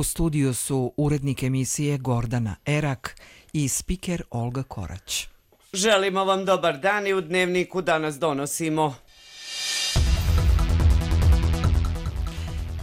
U studiju su urednik emisije Gordana Erak i spiker Olga Korać. Želimo vam dobar dan i u Dnevniku danas donosimo.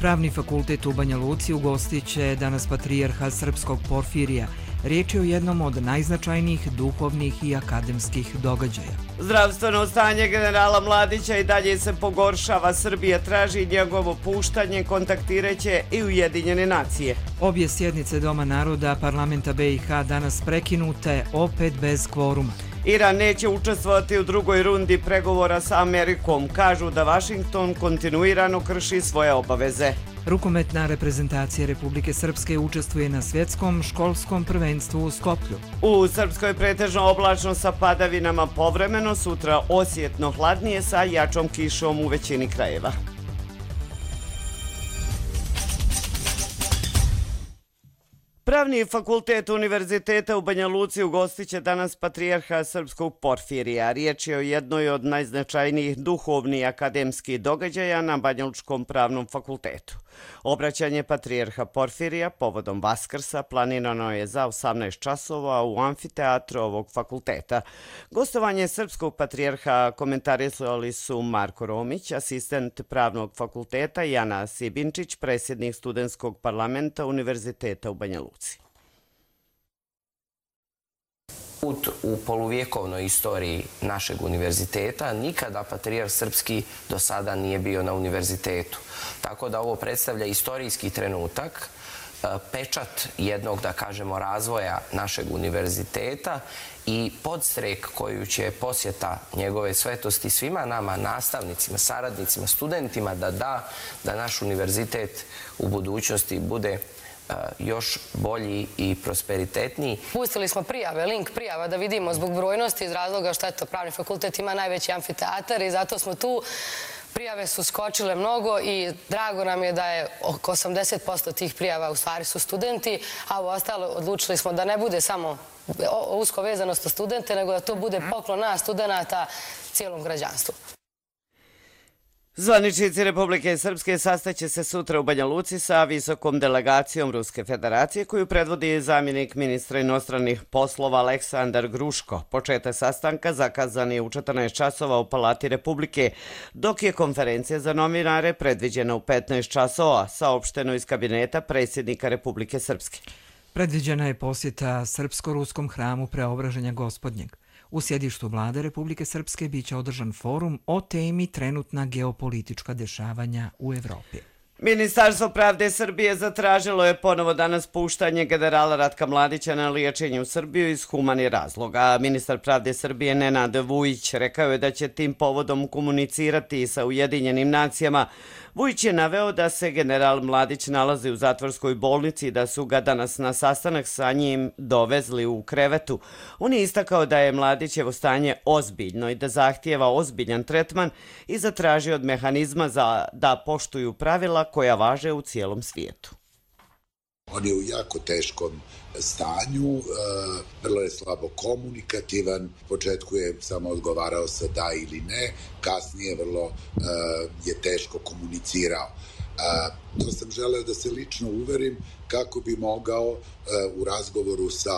Pravni fakultet u Banja Luci ugostit će danas patrijarha srpskog Porfirija. Riječ je o jednom od najznačajnijih duhovnih i akademskih događaja. Zdravstveno stanje generala Mladića i dalje se pogoršava. Srbija traži njegovo puštanje, kontaktiraće i Ujedinjene nacije. Obje sjednice Doma naroda parlamenta BiH danas prekinute, opet bez kvoruma. Iran neće učestvovati u drugoj rundi pregovora sa Amerikom. Kažu da Vašington kontinuirano krši svoje obaveze. Rukometna reprezentacija Republike Srpske učestvuje na svjetskom školskom prvenstvu u Skoplju. U Srpskoj pretežno oblačno sa padavinama povremeno, sutra osjetno hladnije sa jačom kišom u većini krajeva. Pravni fakultet Univerziteta u Banja Luci ugostit će danas patrijarha srpskog Porfirija. Riječ je o jednoj od najznačajnijih duhovnih akademskih događaja na Banjalučkom pravnom fakultetu. Obraćanje patrijarha Porfirija povodom Vaskrsa planirano je za 18 časova u amfiteatru ovog fakulteta. Gostovanje srpskog patrijarha komentarisali su Marko Romić, asistent pravnog fakulteta, i Ana Sibinčić, predsjednik studentskog parlamenta Univerziteta u Banja Luci. Put u poluvjekovnoj istoriji našeg univerziteta, nikada patrijarh srpski do sada nije bio na univerzitetu. Tako da ovo predstavlja istorijski trenutak, pečat jednog, da kažemo, razvoja našeg univerziteta i podstrek koju će posjeta njegove svetosti svima nama, nastavnicima, saradnicima, studentima, da naš univerzitet u budućnosti bude još bolji i prosperitetniji. Pustili smo prijave, link prijava da vidimo zbog brojnosti iz razloga što pravni fakultet ima najveći amfiteatar i zato smo tu. Prijave su skočile mnogo i drago nam je da je oko 80% tih prijava u stvari su studenti, a u ostalo odlučili smo da ne bude samo usko vezanost za studente, nego da to bude poklon nas studenta cijelom građanstvu. Zvaničnici Republike Srpske sastaće se sutra u Banja Luci sa visokom delegacijom Ruske federacije koju predvodi zamjenik ministra inostranih poslova Aleksandar Gruško. Početak sastanka zakazan je u 14 časova u Palati Republike, dok je konferencija za novinare predviđena u 15 časova, saopšteno iz kabineta predsjednika Republike Srpske. Predviđena je posjeta Srpsko-ruskom hramu Preobraženja Gospodnjeg. U sjedištu vlade Republike Srpske biće održan forum o temi trenutna geopolitička dešavanja u Evropi. Ministarstvo pravde Srbije zatražilo je ponovo danas puštanje generala Ratka Mladića na liječenje u Srbiju iz humanih razloga. Ministar pravde Srbije Nenad Vujić rekao je da će tim povodom komunicirati sa Ujedinjenim nacijama. Vujić je naveo da se general Mladić nalazi u zatvorskoj bolnici i da su ga danas na sastanak sa njim dovezli u krevetu. On je istakao da je Mladićevo stanje ozbiljno i da zahtijeva ozbiljan tretman i zatražio od mehanizma da poštuju pravila koja važe u cijelom svijetu. On je u jako teškom stanju, vrlo je slabo komunikativan, u početku je samo odgovarao sa da ili ne, kasnije vrlo je teško komunicirao. To sam želeo da se lično uverim kako bi mogao u razgovoru sa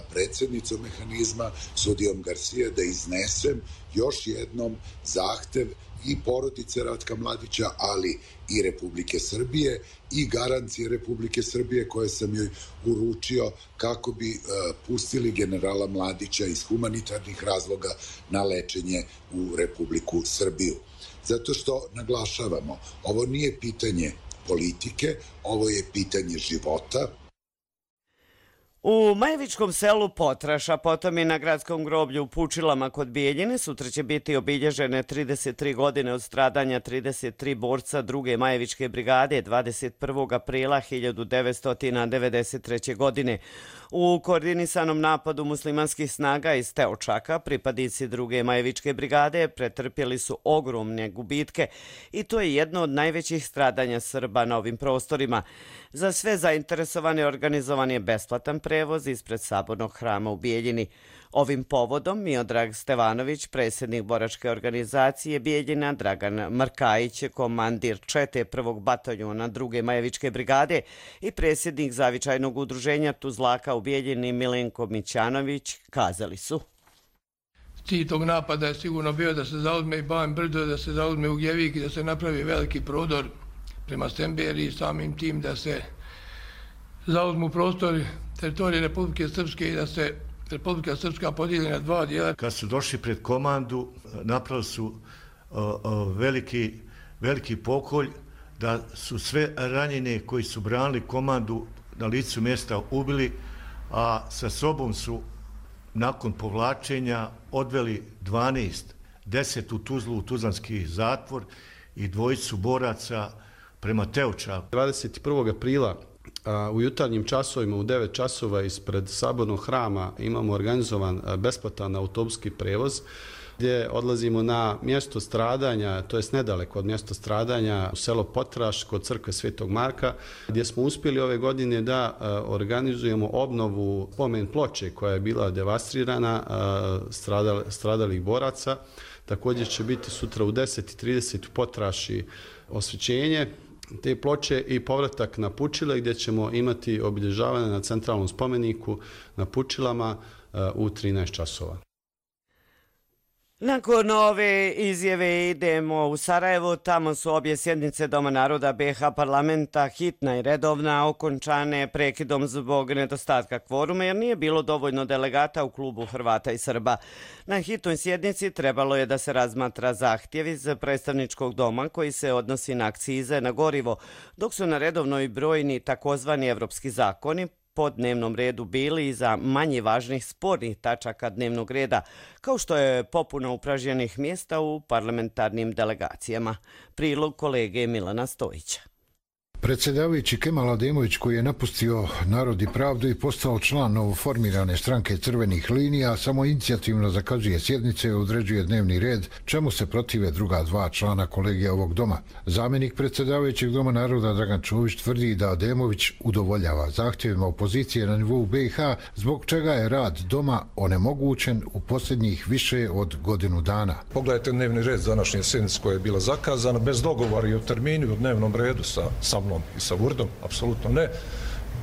predsjednicom mehanizma, sudijom Garcia, da iznesem još jednom zahtev i porodice Ratka Mladića, ali i Republike Srbije i garancije Republike Srbije koje sam joj uručio kako bi pustili generala Mladića iz humanitarnih razloga na lečenje u Republiku Srbiju. Zato što naglašavamo, ovo nije pitanje politike, ovo je pitanje života. U Majevičkom selu Potraš, a potom i na gradskom groblju u Pučilama kod Bijeljine, sutra će biti obilježene 33 godine od stradanja 33 borca druge Majevičke brigade 21. aprila 1993. godine. U koordinisanom napadu muslimanskih snaga iz Teočaka pripadnici 2. Majevičke brigade pretrpjeli su ogromne gubitke i to je jedno od najvećih stradanja Srba na ovim prostorima. Za sve zainteresovane organizovan je besplatan prevoz ispred Sabornog hrama u Bijeljini. Ovim povodom Miodrag Stevanović, predsjednik boračke organizacije Bijeljina, Dragan Markajić, komandir čete 1. bataljona 2. Majevičke brigade i predsjednik zavičajnog udruženja Tuzlaka u Bijeljini Milenko Mićanović kazali su: Cilj tog napada je sigurno bio da se zauzme i Ban Brdo, da se zauzme Ugljevik i da se napravi veliki prodor prema Semberiji, samim tim da se zauzmu prostori teritorije Republike Srpske i da se Republika Srpska podijeli na 2 dijela. Kad su došli pred komandu, napravili su veliki pokolj, da su sve ranjene koji su branili komandu na licu mjesta ubili, a sa sobom su nakon povlačenja odveli 10 u Tuzlu, u Tuzlanski zatvor i 2 boraca prema Teočaku. 21. aprila u jutarnjim časovima u 9 časova ispred Sabornog hrama imamo organizovan besplatan autobuski prevoz gdje odlazimo na mjesto stradanja, to jest nedaleko od mjesta stradanja, u selo Potraš kod crkve Svetog Marka, gdje smo uspjeli ove godine da organizujemo obnovu spomen ploče koja je bila devastirana stradalih boraca. Također će biti sutra u 10:30 u Potraši osvećenje te ploče i povratak na Pučile gdje ćemo imati obilježavanje na centralnom spomeniku na Pučilama u 13 časova. Nakon ove izjave idemo u Sarajevo, tamo su obje sjednice Doma naroda BiH parlamenta, hitna i redovna, okončane prekidom zbog nedostatka kvoruma jer nije bilo dovoljno delegata u klubu Hrvata i Srba. Na hitnoj sjednici trebalo je da se razmatra zahtjev iz predstavničkog doma koji se odnosi na akcize na gorivo, dok su na redovnoj brojni takozvani evropski zakoni po dnevnom redu bili i za manje važnih spornih tačaka dnevnog reda, kao što je popuna upražnjenih mjesta u parlamentarnim delegacijama. Prilog kolege Milana Stojića. Predsjedavajući Kemal Ademović, koji je napustio Narod i pravdu i postao član novoformirane stranke Crvenih linija, samo inicijativno zakazuje sjednice i određuje dnevni red, čemu se protive druga 2 člana kolegija ovog doma. Zamjenik predsjedavajućeg Doma naroda Dragan Čović tvrdi da Ademović udovoljava zahtjevima opozicije na nivou BiH, zbog čega je rad doma onemogućen u posljednjih više od godinu dana. Pogledajte dnevni red današnje sjednice koja je bila zakazana, bez dogovora i o terminu i o dnevnom redu sa mnom i sa Vurdom, apsolutno ne.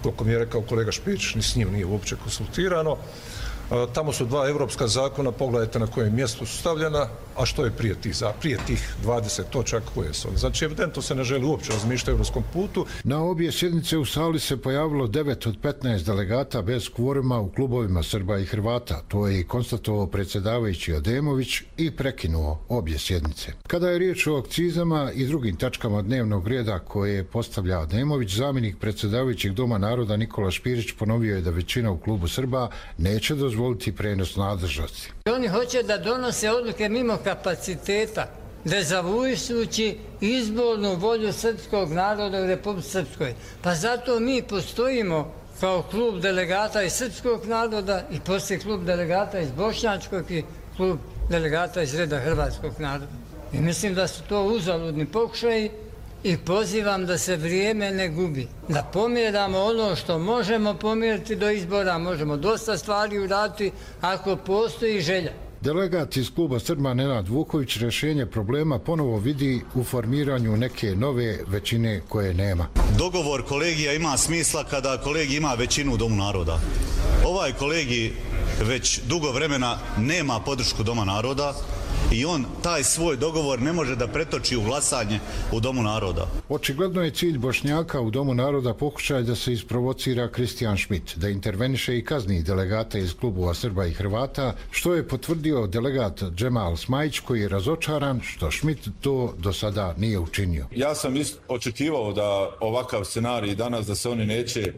Koliko mi je rekao kolega Špić, ni s njim nije uopće konsultirano. Tamo su 2 evropska zakona, pogledajte na kojem mjestu su stavljena, a što je prije tih 20 točaka koje su. Znači, evidentno se ne želi uopće razmišljati o evropskom putu. Na obje sjednice u sali se pojavilo 9 od 15 delegata bez kvoruma u klubovima Srba i Hrvata. To je i konstatovao predsjedavajući Ademović i prekinuo obje sjednice. Kada je riječ o akcizama i drugim tačkama dnevnog reda koje postavlja Ademović, zamjenik predsjedavajućeg Doma naroda Nikola Špirić ponovio je da većina u klubu Srba neće dozvoliti prenos nadležnosti. Oni hoće da donose odluke mimo kapaciteta, dezavujujući izbornu volju srpskog naroda u Republici Srpskoj. Pa zato mi postojimo kao klub delegata iz srpskog naroda i poslije klub delegata iz bošnjačkog i klub delegata iz reda hrvatskog naroda. I mislim da su to uzaludni pokušaji i pozivam da se vrijeme ne gubi. Da pomjeramo ono što možemo pomjeriti do izbora, možemo dosta stvari uraditi ako postoji želja. Delegat iz kluba Srba Nenad Vuković rješenje problema ponovo vidi u formiranju neke nove većine koje nema. Dogovor kolegija ima smisla kada kolegij ima većinu u Domu naroda. Ovaj kolegij već dugo vremena nema podršku Doma naroda i on taj svoj dogovor ne može da pretoči u glasanje u Domu naroda. Očigledno je cilj Bošnjaka u Domu naroda pokušaj da se isprovocira Kristijan Šmit, da interveniše i kazni delegate iz klubova Srba i Hrvata, što je potvrdio delegat Džemal Smajić, koji je razočaran što Šmit to do sada nije učinio. Ja sam očekivao da ovakav scenarij danas da se oni neće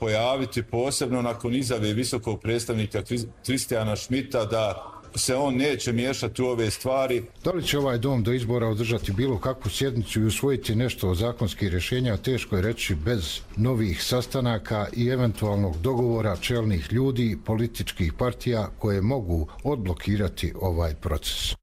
pojaviti, posebno nakon izjave visokog predstavnika Kristijana Šmita da se on neće miješati u ove stvari. Da li će ovaj dom do izbora održati bilo kakvu sjednicu i usvojiti nešto od zakonskih rješenja, teško je reći bez novih sastanaka i eventualnog dogovora čelnih ljudi, političkih partija koje mogu odblokirati ovaj proces.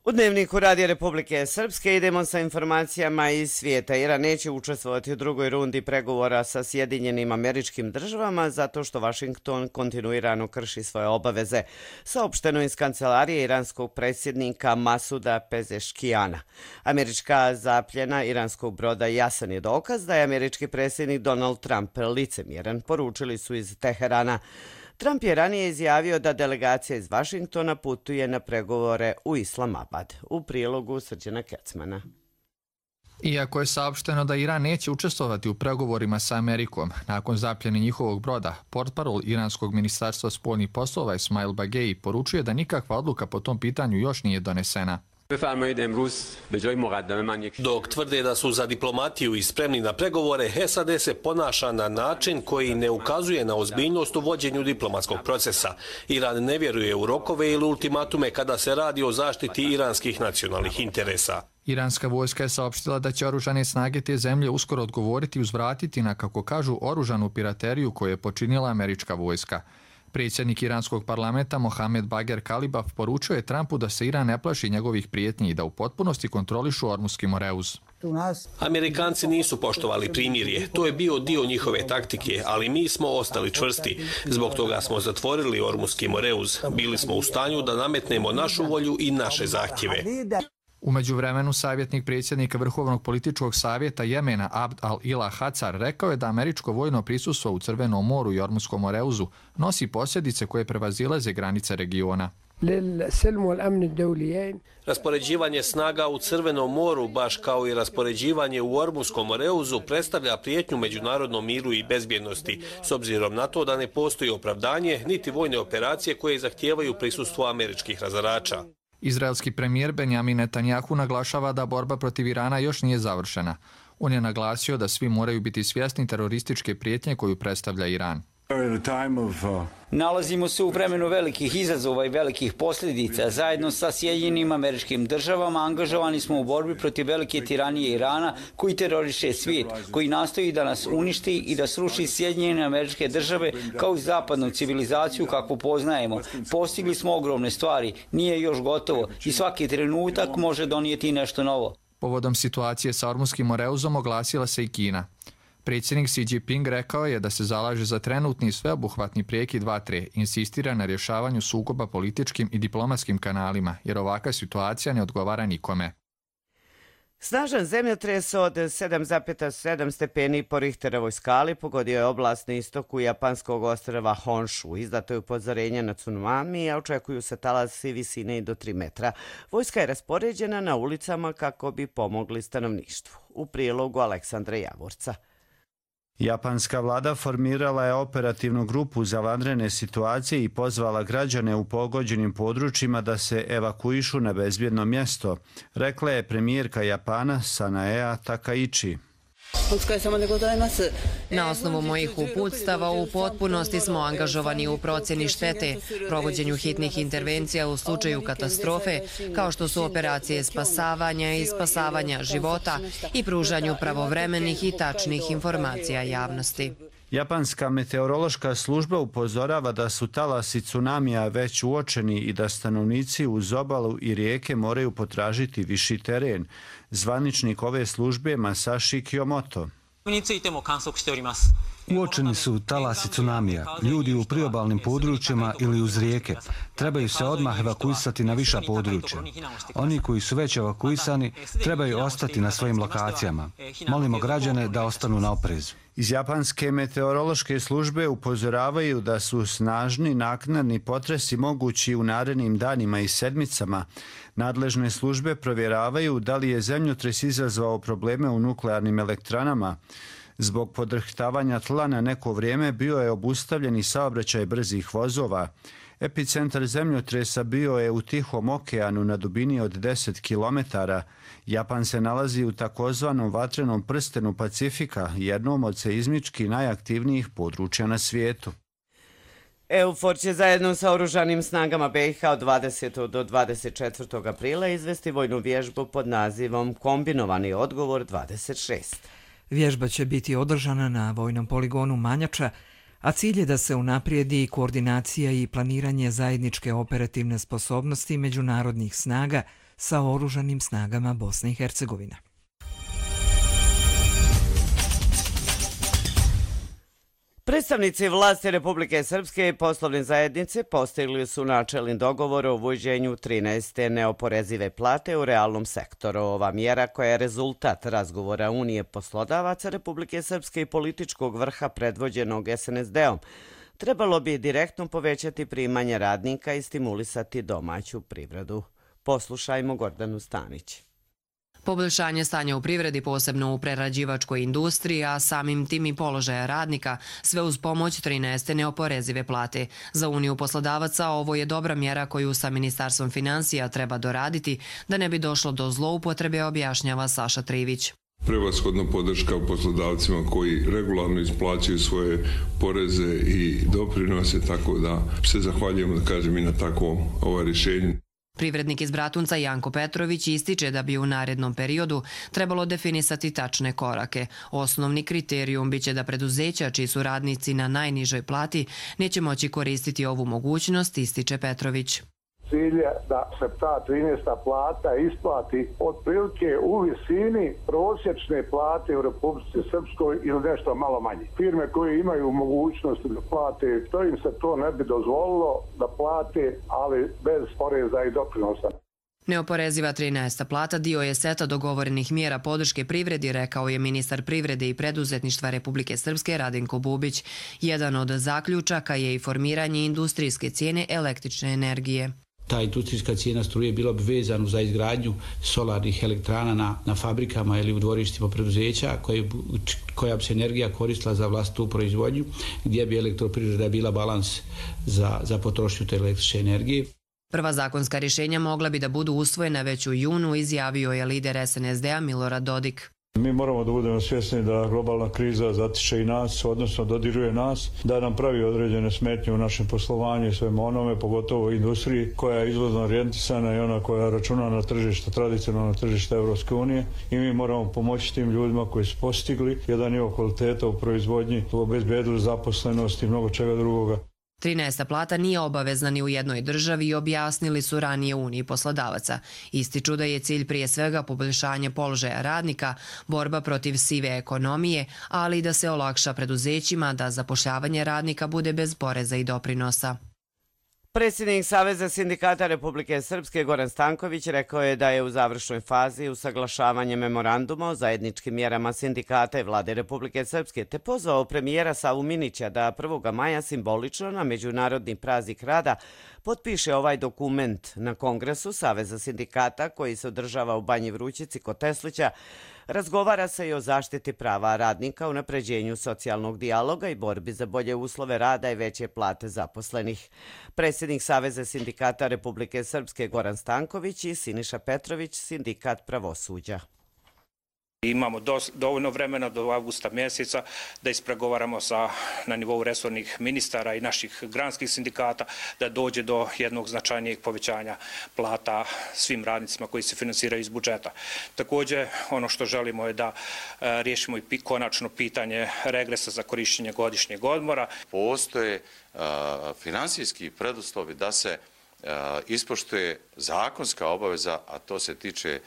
U Dnevniku Radija Republike Srpske idemo sa informacijama iz svijeta. Iran neće učestvovati u drugoj rundi pregovora sa Sjedinjenim Američkim Državama zato što Vašington kontinuirano krši svoje obaveze. Saopšteno iz kancelarije iranskog predsjednika Masuda Pezeškijana. Američka zapljena iranskog broda jasan je dokaz da je američki predsjednik Donald Trump licemjeran, poručili su iz Teherana. Trump je ranije izjavio da delegacija iz Vašingtona putuje na pregovore u Islamabad. U prilogu Srđana Kecmana. Iako je saopšteno da Iran neće učestvovati u pregovorima sa Amerikom nakon zapljene njihovog broda, portparol iranskog ministarstva spoljnih poslova Ismail Bagei poručuje da nikakva odluka po tom pitanju još nije donesena. Dok tvrde da su za diplomatiju i spremni na pregovore, SAD se ponaša na način koji ne ukazuje na ozbiljnost u vođenju diplomatskog procesa. Iran ne vjeruje u rokove ili ultimatume kada se radi o zaštiti iranskih nacionalnih interesa. Iranska vojska je saopštila da će oružane snage te zemlje uskoro odgovoriti i uzvratiti na, kako kažu, oružanu pirateriju koju je počinila američka vojska. Predsjednik iranskog parlamenta Mohamed Bager Kalibaf poručio je Trumpu da se Iran ne plaši njegovih prijetnji i da u potpunosti kontrolišu Ormuski Moreuz. Amerikanci nisu poštovali primirje, to je bio dio njihove taktike, ali mi smo ostali čvrsti. Zbog toga smo zatvorili Ormuski Moreuz. Bili smo u stanju da nametnemo našu volju i naše zahtjeve. U međuvremenu savjetnik predsjednika Vrhovnog političkog savjeta Jemena Abd al-Ilah Hacar rekao je da američko vojno prisustvo u Crvenom moru i Ormuskom Moreuzu nosi posljedice koje prevazilaze granice regiona. Raspoređivanje snaga u Crvenom moru, baš kao i raspoređivanje u Ormuskom Moreuzu, predstavlja prijetnju međunarodnom miru i bezbjednosti, s obzirom na to da ne postoji opravdanje niti vojne operacije koje zahtijevaju prisustvo američkih razarača. Izraelski premijer Benjamin Netanjahu naglašava da borba protiv Irana još nije završena. On je naglasio da svi moraju biti svjesni terorističke prijetnje koju predstavlja Iran. Nalazimo se u vremenu velikih izazova i velikih posljedica. Zajedno sa Sjedinjenim Američkim Državama angažovani smo u borbi protiv velike tiranije Irana koji teroriše svijet, koji nastoji da nas uništi i da sruši Sjedinjene Američke Države kao i zapadnu civilizaciju kakvu poznajemo. Postigli smo ogromne stvari, nije još gotovo i svaki trenutak može donijeti nešto novo. Povodom situacije sa Ormuskim Moreuzom oglasila se i Kina. Predsjednik Xi Jinping rekao je da se zalaže za trenutni sveobuhvatni prekid vatre, insistira na rješavanju sukoba političkim i diplomatskim kanalima, jer ovakva situacija ne odgovara nikome. Snažan zemljotres od 7,7 stepeni po Richterovoj skali pogodio je oblast na istoku japanskog ostrva Honshu. Izdato je upozorenje na tsunami, a očekuju se talasi visine i do 3 metra. Vojska je raspoređena na ulicama kako bi pomogli stanovništvu. U prilogu Aleksandra Javorca. Japanska vlada formirala je operativnu grupu za vanredne situacije i pozvala građane u pogođenim područjima da se evakuišu na bezbjedno mjesto, rekla je premijerka Japana Sanae Takaichi. Na osnovu mojih uputstava u potpunosti smo angažovani u procjeni štete, provođenju hitnih intervencija u slučaju katastrofe, kao što su operacije spasavanja i spasavanja života i pružanju pravovremenih i tačnih informacija javnosti. Japanska meteorološka služba upozorava da su talasi tsunamija već uočeni i da stanovnici uz obalu i rijeke moraju potražiti viši teren. Zvaničnik ove službe Masashi Kiyomoto. Uočeni su talasi tsunamija. Ljudi u priobalnim područjima ili uz rijeke trebaju se odmah evakuisati na viša područja. Oni koji su već evakuisani trebaju ostati na svojim lokacijama. Molimo građane da ostanu na oprezu. Iz japanske meteorološke službe upozoravaju da su snažni naknadni potresi mogući u narednim danima i sedmicama. Nadležne službe provjeravaju da li je zemljotres izazvao probleme u nuklearnim elektranama. Zbog podrhtavanja tla na neko vrijeme bio je obustavljen i saobraćaj brzih vozova. Epicentar zemljotresa bio je u Tihom okeanu na dubini od 10 km. Japan se nalazi u takozvanom vatrenom prstenu Pacifika, jednom od seizmički najaktivnijih područja na svijetu. EUFOR će zajedno sa oružanim snagama BiH od 20. do 24. aprila izvesti vojnu vježbu pod nazivom Kombinovani odgovor 26. Vježba će biti održana na vojnom poligonu Manjača, a cilj je da se unaprijedi koordinacija i planiranje zajedničke operativne sposobnosti međunarodnih snaga sa oružanim snagama Bosne i Hercegovine. Predstavnici vlasti Republike Srpske i poslovne zajednice postigli su načelni dogovor o uvođenju 13. neoporezive plate u realnom sektoru. Ova mjera, koja je rezultat razgovora Unije poslodavaca Republike Srpske i političkog vrha predvođenog SNSD-om, trebalo bi direktno povećati primanje radnika i stimulisati domaću privredu. Poslušajmo Gordanu Stanić. Poboljšanje stanja u privredi, posebno u prerađivačkoj industriji, a samim tim i položaja radnika, sve uz pomoć 13. neoporezive plate. Za Uniju poslodavaca ovo je dobra mjera koju sa Ministarstvom financija treba doraditi da ne bi došlo do zloupotrebe, objašnjava Saša Trivić. Prevashodno podrška poslodavcima koji regularno isplaćuju svoje poreze i doprinose, tako da se zahvaljujemo, da kažem, i na takvom rješenju. Privrednik iz Bratunca Janko Petrović ističe da bi u narednom periodu trebalo definisati tačne korake. Osnovni kriterijum biće da preduzeća čiji su radnici na najnižoj plati neće moći koristiti ovu mogućnost, ističe Petrović. Cilj je da se ta 13. plata isplati otprilike u visini prosječne plate u Republici Srpskoj ili nešto malo manje. Firme koje imaju mogućnost da plate, to im se to ne bi dozvolilo da plate, ali bez poreza i doprinosa. Neoporeziva 13. plata dio je seta dogovorenih mjera podrške privredi, rekao je ministar privrede i preduzetništva Republike Srpske Radenko Bubić. Jedan od zaključaka je i formiranje industrijske cijene električne energije. Ta industrijska cijena struje bila bi vezana za izgradnju solarnih elektrana na fabrikama ili u dvorištima preduzeća koja bi se energija koristila za vlastitu proizvodnju, gdje bi elektroprivreda bila balans za potrošnju te električne energije. Prva zakonska rješenja mogla bi da budu usvojena već u junu, izjavio je lider SNSD-a Milorad Dodik. Mi moramo da budemo svjesni da globalna kriza zatiče i nas, odnosno dodiruje nas, da nam pravi određene smetnje u našem poslovanju i svemu onome, pogotovo u industriji koja je izvozno orijentisana i ona koja računa na tržište, tradicionalno tržište Evropske unije, i mi moramo pomoći tim ljudima koji su postigli jedan nivo kvaliteta u proizvodnji, obezbedili zaposlenost i mnogo čega drugoga. 13. plata nije obavezna ni u jednoj državi, objasnili su ranije Uniji poslodavaca. Ističu da je cilj prije svega poboljšanje položaja radnika, borba protiv sive ekonomije, ali i da se olakša preduzećima da zapošljavanje radnika bude bez poreza i doprinosa. Predsjednik Saveza sindikata Republike Srpske Goran Stanković rekao je da je u završnoj fazi usaglašavanje memoranduma o zajedničkim mjerama sindikata i vlade Republike Srpske, te pozvao premijera Savu Minića da 1. maja simbolično na Međunarodni praznik rada potpiše ovaj dokument. Na Kongresu Saveza sindikata, koji se održava u Banji Vrućici kod Teslića, razgovara se i o zaštiti prava radnika, unapređenju socijalnog dijaloga i borbi za bolje uslove rada i veće plate zaposlenih. Predsjednik Saveza sindikata Republike Srpske Goran Stanković i Siniša Petrović, sindikat pravosuđa. Imamo dovoljno vremena do avgusta mjeseca da ispregovaramo na nivou resornih ministara i naših granskih sindikata da dođe do jednog značajnijeg povećanja plata svim radnicima koji se finansiraju iz budžeta. Također, ono što želimo je da riješimo i konačno pitanje regresa za korištenje godišnjeg odmora. Postoje finansijski preduslovi da se ispoštuje zakonska obaveza, a to se tiče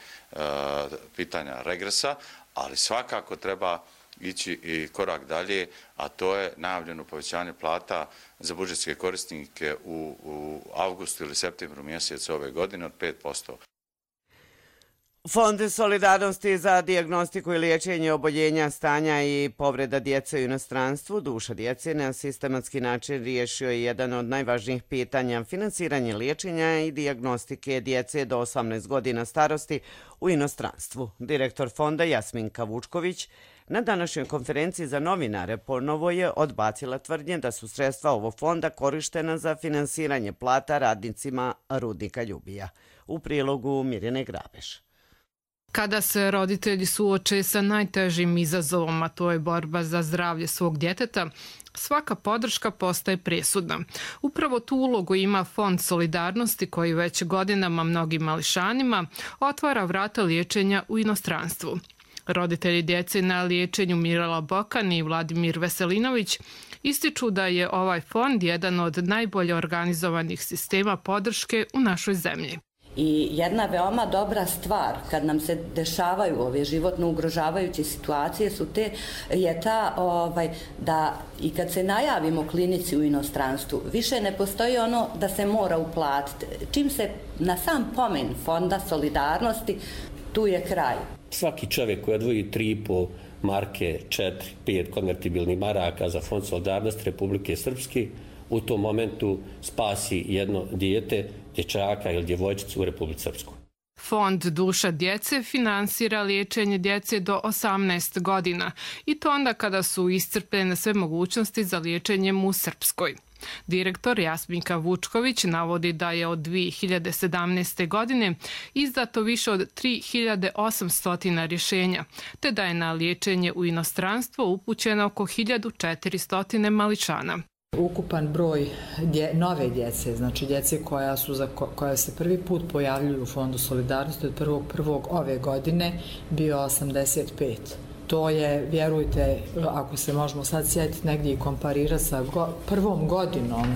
pitanja regresa, ali svakako treba ići i korak dalje, a to je najavljeno povećanje plata za budžetske korisnike u avgustu ili septembru mjesecu ove godine od 5%. Fond solidarnosti za dijagnostiku i liječenje oboljenja, stanja i povreda djece u inostranstvu, duša djece, na sistematski način riješio je jedan od najvažnijih pitanja, finansiranje liječenja i dijagnostike djece do 18 godina starosti u inostranstvu. Direktor fonda Jasminka Vučković na današnjoj konferenciji za novinare ponovo je odbacila tvrdnje da su sredstva ovog fonda korištena za finansiranje plata radnicima rudnika Ljubija. U prilogu Mirjane Grabeš. Kada se roditelji suoče sa najtežim izazovom, a to je borba za zdravlje svog djeteta, svaka podrška postaje presudna. Upravo tu ulogu ima Fond solidarnosti koji već godinama mnogim mališanima otvara vrata liječenja u inostranstvu. Roditelji djece na liječenju Mirela Bokan i Vladimir Veselinović ističu da je ovaj fond jedan od najbolje organizovanih sistema podrške u našoj zemlji. I jedna veoma dobra stvar kad nam se dešavaju ove životno ugrožavajuće situacije je ta da i kad se najavimo klinici u inostranstvu, više ne postoji ono da se mora uplatiti. Čim se na sam pomen Fonda solidarnosti, tu je kraj. Svaki čovjek koji odvoji 3,5 marke, 4, 5 konvertibilnih maraka za Fond solidarnosti Republike Srpske, u tom momentu spasi jedno dijete, dječaka ili djevojčicu u Republici Srpskoj. Fond Duša djece finansira liječenje djece do 18 godina i to onda kada su iscrpljene sve mogućnosti za liječenjem u Srpskoj. Direktor Jasminka Vučković navodi da je od 2017. godine izdato više od 3800 rješenja, te da je na liječenje u inostranstvo upućeno oko 1400 mališana. Ukupan broj nove djece, znači djece koja se prvi put pojavljuju u Fondu solidarnosti od 1.1. ove godine bio 85. To je, vjerujte, ako se možemo sad sjetiti negdje i komparirati sa prvom godinom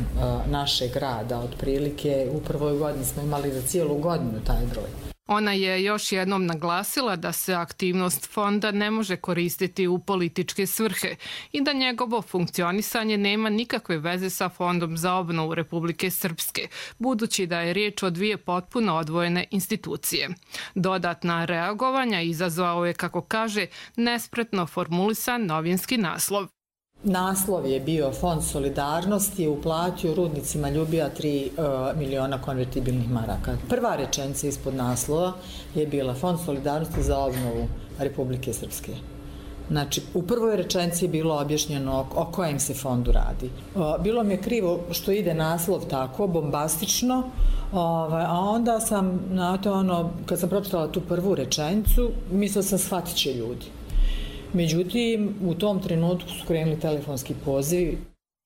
našeg rada, otprilike u prvoj godini smo imali za cijelu godinu taj broj. Ona je još jednom naglasila da se aktivnost fonda ne može koristiti u političke svrhe i da njegovo funkcionisanje nema nikakve veze sa Fondom za obnovu Republike Srpske, budući da je riječ o dvije potpuno odvojene institucije. Dodatna reagovanja izazvao je, kako kaže, nespretno formulisan novinski naslov. Naslov je bio Fond solidarnosti je uplatio rudnicima Ljubija 3 miliona konvertibilnih maraka. Prva rečenica ispod naslova je bila Fond solidarnosti za obnovu Republike Srpske. Znači, u prvoj rečenici je bilo objašnjeno o kojem se fondu radi. Bilo mi je krivo što ide naslov tako, bombastično, a onda sam, kad sam pročitala tu prvu rečenicu, mislila sam shvatit će ljudi. Međutim, u tom trenutku su krenuli telefonski pozivi.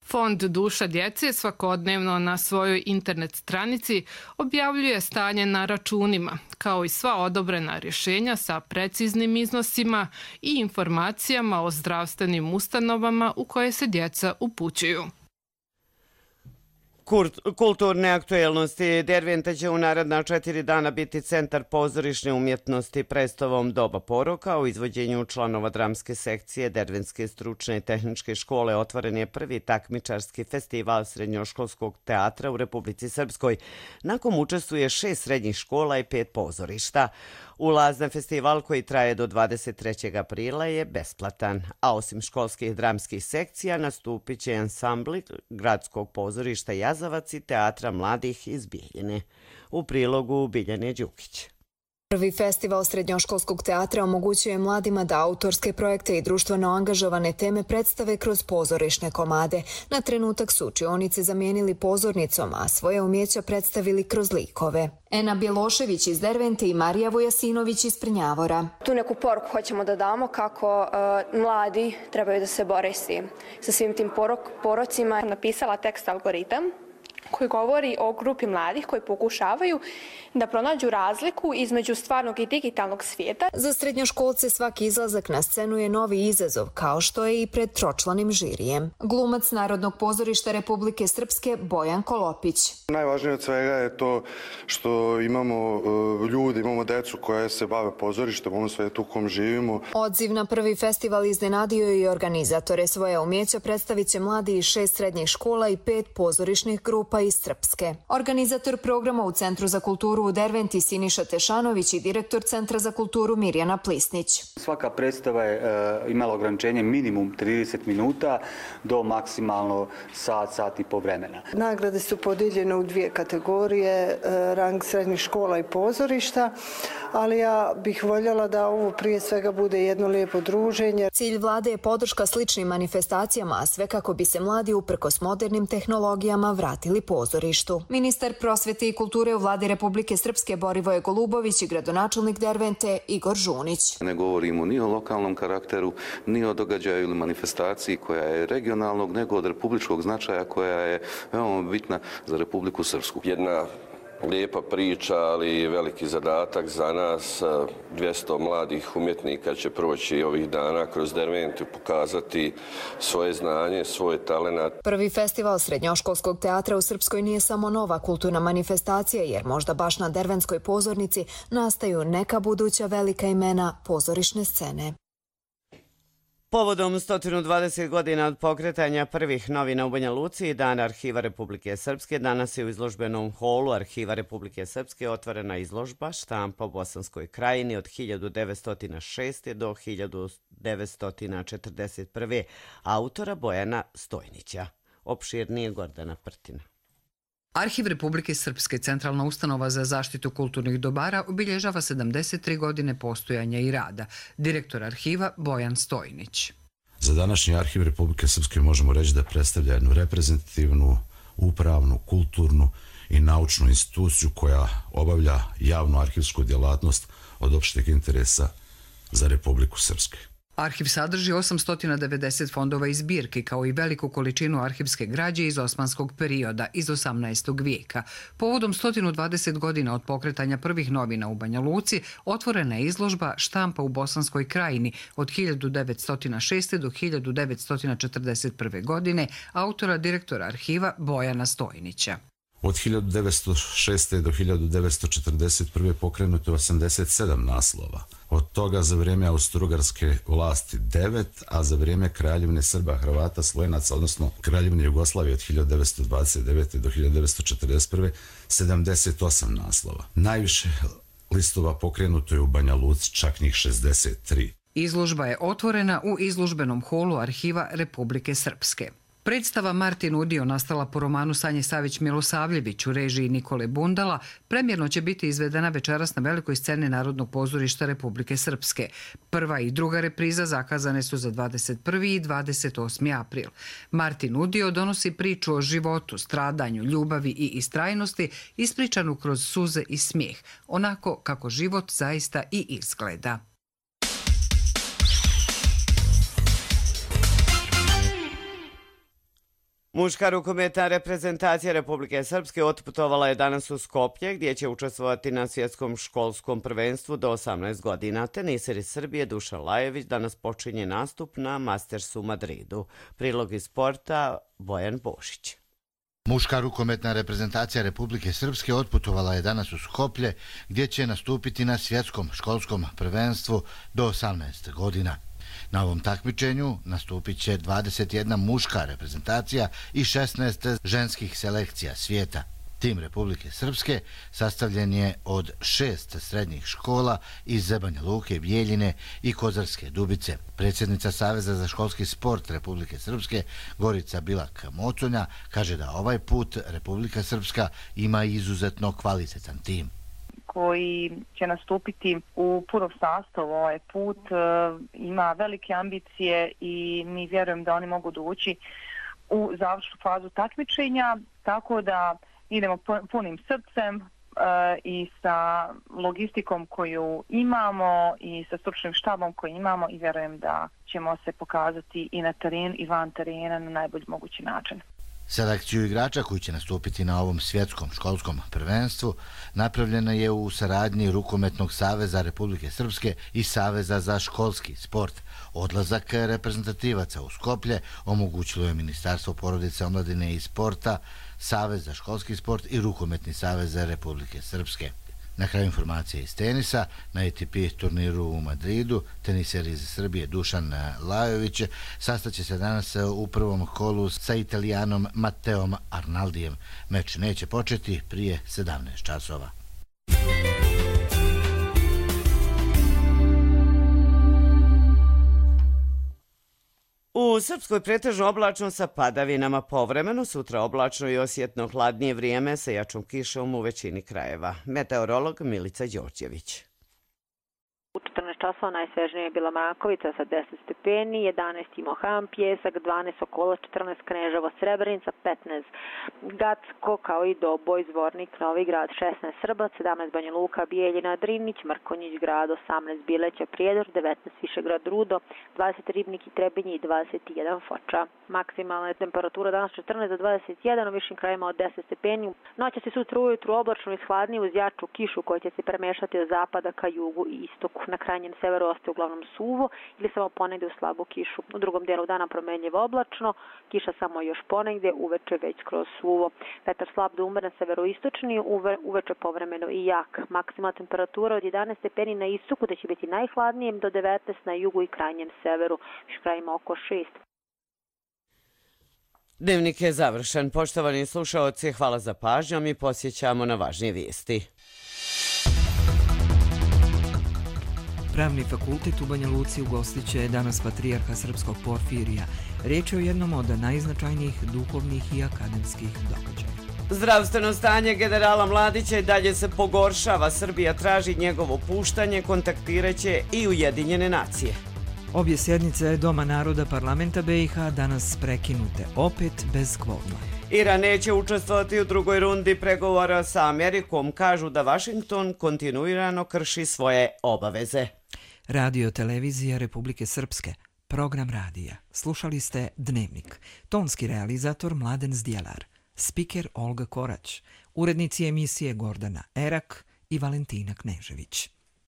Fond Duša djece svakodnevno na svojoj internet stranici objavljuje stanje na računima, kao i sva odobrena rješenja sa preciznim iznosima i informacijama o zdravstvenim ustanovama u koje se djeca upućuju. Kulturne aktuelnosti. Derventa će u naredna 4 dana biti centar pozorišne umjetnosti predstavom Doba poroka. U izvođenju članova dramske sekcije Dervenske stručne i tehničke škole otvoren je prvi takmičarski festival srednjoškolskog teatra u Republici Srpskoj, na kom učestvuje 6 srednjih škola i 5 pozorišta. Ulaz na festival koji traje do 23. aprila je besplatan, a osim školskih dramskih sekcija nastupit će ansambli Gradskog pozorišta Jazavac i Teatra mladih iz Bijeljine. U prilogu Biljane Đukić. Prvi festival srednjoškolskog teatra omogućuje mladima da autorske projekte i društveno angažovane teme predstave kroz pozorišne komade. Na trenutak su učionice zamijenili pozornicom, a svoje umjeća predstavili kroz likove. Ena Bjelošević iz Dervente i Marija Vojasinović iz Prnjavora. Tu neku poruku hoćemo da damo kako mladi trebaju da se bore sa svim tim porocima. Napisala tekst Algoritam, koji govori o grupi mladih koji pokušavaju da pronađu razliku između stvarnog i digitalnog svijeta. Za srednjoškolce svaki izlazak na scenu je novi izazov, kao što je i pred tročlanim žirijem. Glumac Narodnog pozorišta Republike Srpske Bojan Kolopić. Najvažnije od svega je to što imamo ljudi, imamo decu koja se bave pozorištem, ono svijetu u kom živimo. Odziv na prvi festival iznenadio je i organizatore. Svoje umjeća predstavit će mladi iz 6 srednjih škola i 5 pozorišnih grupa iz Srpske. Organizator programa u Centru za kulturu u Derventi Siniša Tešanović i direktor Centra za kulturu Mirjana Plisnić. Svaka predstava je imala ograničenje minimum 30 minuta do maksimalno sat i po vremena. Nagrade su podijeljene u 2 kategorije, rang srednjih škola i pozorišta, ali ja bih voljela da ovo prije svega bude jedno lijepo druženje. Cilj vlade je podrška sličnim manifestacijama, a sve kako bi se mladi uprkos modernim tehnologijama vratili pozorištu. Ministar prosvete i kulture u vladi Republike Srpske Borivoje Golubović i gradonačelnik Dervente Igor Žunić. Ne govorimo ni o lokalnom karakteru, ni o događaju ili manifestaciji koja je regionalnog, nego od republičkog značaja koja je veoma bitna za Republiku Srpsku. Jedna lijepa priča, ali veliki zadatak za nas. 200 mladih umjetnika će proći ovih dana kroz Derventu, pokazati svoje znanje, svoj talenat. Prvi festival srednjoškolskog teatra u Srpskoj nije samo nova kulturna manifestacija, jer možda baš na Dervenskoj pozornici nastaju neka buduća velika imena pozorišne scene. Povodom 120 godina od pokretanja prvih novina u Banja Luci i Dan Arhiva Republike Srpske, danas je u izložbenom holu Arhiva Republike Srpske otvorena izložba Štampa u Bosanskoj krajini od 1906. do 1941. autora Bojana Stojnića. Opširnije Gordana Prtina. Arhiv Republike Srpske, centralna ustanova za zaštitu kulturnih dobara, obilježava 73 godine postojanja i rada. Direktor arhiva Bojan Stojnić. Za današnji Arhiv Republike Srpske možemo reći da predstavlja jednu reprezentativnu, upravnu, kulturnu i naučnu instituciju koja obavlja javnu arhivsku djelatnost od opšteg interesa za Republiku Srpsku. Arhiv sadrži 890 fondova i zbirki, kao i veliku količinu arhivske građe iz osmanskog perioda, iz 18. vijeka. Povodom 120 godina od pokretanja prvih novina u Banja Luci, otvorena je izložba Štampa u Bosanskoj krajini od 1906. do 1941. godine, autora direktora arhiva Bojana Stojnića. Od 1906. do 1941. pokrenuto je 87 naslova. Od toga za vrijeme austrougarske vlasti 9, a za vrijeme Kraljevine Srba, Hrvata, Slovenaca, odnosno Kraljevine Jugoslavije od 1929. do 1941. 78 naslova. Najviše listova pokrenuto je u Banja Luci, čak njih 63. Izložba je otvorena u izložbenom holu Arhiva Republike Srpske. Predstava Martin Udio, nastala po romanu Sanje Savić-Milosavljević u režiji Nikole Bundala, premjerno će biti izvedena večeras na velikoj sceni Narodnog pozorišta Republike Srpske. Prva i druga repriza zakazane su za 21. i 28. april. Martin Udio donosi priču o životu, stradanju, ljubavi i istrajnosti, ispričanu kroz suze i smijeh, onako kako život zaista i izgleda. Muška rukometna reprezentacija Republike Srpske otputovala je danas u Skoplje, gdje će učestvovati na svjetskom školskom prvenstvu do 18 godina. Teniser iz Srbije Dušan Lajević danas počinje nastup na Mastersu u Madridu. Prilog iz sporta Bojan Bošić. Muška rukometna reprezentacija Republike Srpske otputovala je danas u Skoplje, gdje će nastupiti na svjetskom školskom prvenstvu do 18 godina. Na ovom takmičenju nastupit će 21 muška reprezentacija i 16 ženskih selekcija svijeta. Tim Republike Srpske sastavljen je od 6 srednjih škola iz Banja Luke, Bijeljine i Kozarske Dubice. Predsjednica Saveza za školski sport Republike Srpske Gorica Bilak-Moconja kaže da ovaj put Republika Srpska ima izuzetno kvalitetan tim koji će nastupiti u punom sastavu ovaj put, ima velike ambicije i mi vjerujem da oni mogu doći u završnu fazu takmičenja, tako da idemo punim srcem i sa logistikom koju imamo i sa stručnim štabom koji imamo i vjerujem da ćemo se pokazati i na terenu i van terena na najbolji mogući način. Selekciju igrača koji će nastupiti na ovom svjetskom školskom prvenstvu napravljena je u saradnji Rukometnog saveza Republike Srpske i Saveza za školski sport. Odlazak reprezentativaca u Skoplje omogućilo je Ministarstvo porodice, omladine i sporta, Savez za školski sport i Rukometni savez Republike Srpske. Na kraju informacije iz tenisa, na ATP turniru u Madridu, teniser iz Srbije Dušan Lajović sastaće se danas u prvom kolu sa Italijanom Matteom Arnaldijem. Meč neće početi prije 17 časova. U Srpskoj pretežno oblačno sa padavinama, povremeno sutra oblačno i osjetno hladnije vrijeme sa jačom kišom u većini krajeva. Meteorolog Milica Đorđević. U 14 časova, najsvežnija je bila Makovica sa 10 stepeni, 11 Mohan, Pjesak, 12 Sokolac, 14 Kneževo, Srebrenica, 15 Gacko, kao i Doboj, Zvornik, Novi Grad, 16 Srbac, 17 Banja Luka, Bijeljina, Drinić, Mrkonjić Grad, 18 Bileća, Prijedor, 19 Višegrad, Rudo, 20 Ribnik i Trebinje i 21 Foča. Maksimalna je temperatura danas 14 do 21, u višim krajima od 10 stepeni. Noća se sutra ujutru oblačno i hladnije uz jaču kišu koja će se premešati od zapada ka jugu i istoku. Na krajnjem severu ostaje uglavnom suvo ili samo ponegde u slabu kišu. U drugom dijelu dana promenljivo oblačno, kiša samo još ponegde, uveče već kroz suvo. Vetar slab do umeren severoistočni, uveče povremeno i jak. Maksimalna temperatura od 11 stepeni na istoku da će biti najhladnije do 19 na jugu i krajnjem severu, u krajima oko 6. Dnevnik je završen. Poštovani slušaoci, hvala za pažnju. Mi posjećamo na važnije vijesti. Pravni fakultet u Banja Luci ugostit će danas patrijarha srpskog Porfirija. Riječ je o jednom od najznačajnijih duhovnih i akademskih događaja. Zdravstveno stanje generala Mladića i dalje se pogoršava. Srbija traži njegovo puštanje, kontaktiraće i Ujedinjene nacije. Obje sjednice Doma naroda parlamenta BiH danas prekinute, opet bez kvoruma. Iran neće učestvovati u drugoj rundi pregovora sa Amerikom. Kažu da Vašington kontinuirano krši svoje obaveze. Radio televizija Republike Srpske, program radija. Slušali ste Dnevnik. Tonski realizator Mladen Zdjelar. Spiker Olga Korać. Urednici emisije Gordana Erak i Valentina Knežević.